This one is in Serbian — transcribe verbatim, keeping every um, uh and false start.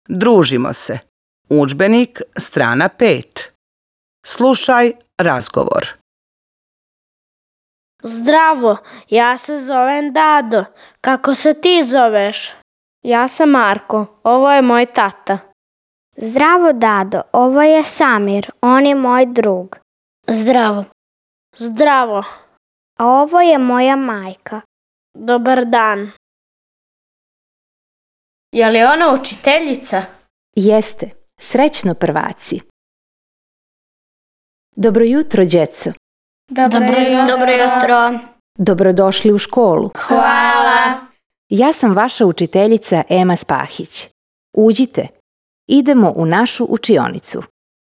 Družimo se. Udžbenik, strana pet. Slušaj razgovor. Zdravo, ja se zovem Dado. Kako se ti zoveš? Ja sam Marko, ovo je moj tata. Zdravo, Dado, ovo je Samir, on je moj drug. Zdravo. Zdravo. A ovo je moja majka. Dobar dan. Je li ona učiteljica? Jeste, srećno prvaci. Dobro jutro, djeco. Dobro, Dobro jutro. Dobro jutro. Dobrodošli u školu. Hvala. Ja sam vaša učiteljica Ema Spahić. Uđite. Idemo u našu učionicu.